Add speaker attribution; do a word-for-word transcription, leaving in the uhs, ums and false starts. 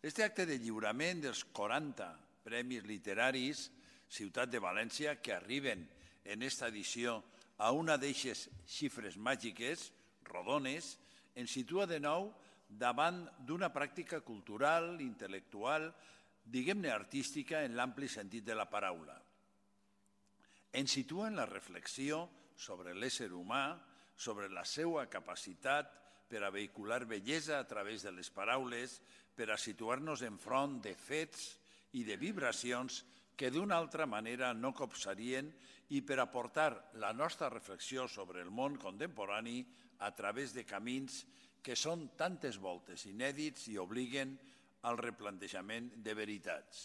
Speaker 1: Este acte de lliurament dels quaranta premis literaris Ciutat de València, que arriben en esta edició a una d'eixes xifres màgiques, rodones, ens situa de nou davant d'una pràctica cultural, intel·lectual, diguem-ne artística en l'ampli sentit de la paraula. Ens situa en la reflexió sobre l'ésser humà, sobre la seva capacitat per a vehicular bellesa a través de les paraules, per a situar-nos enfront de fets i de vibracions que d'una altra manera no copsarien i per aportar la nostra reflexió sobre el món contemporani a través de camins que són tantes voltes inèdits i obliguen al replantejament de veritats.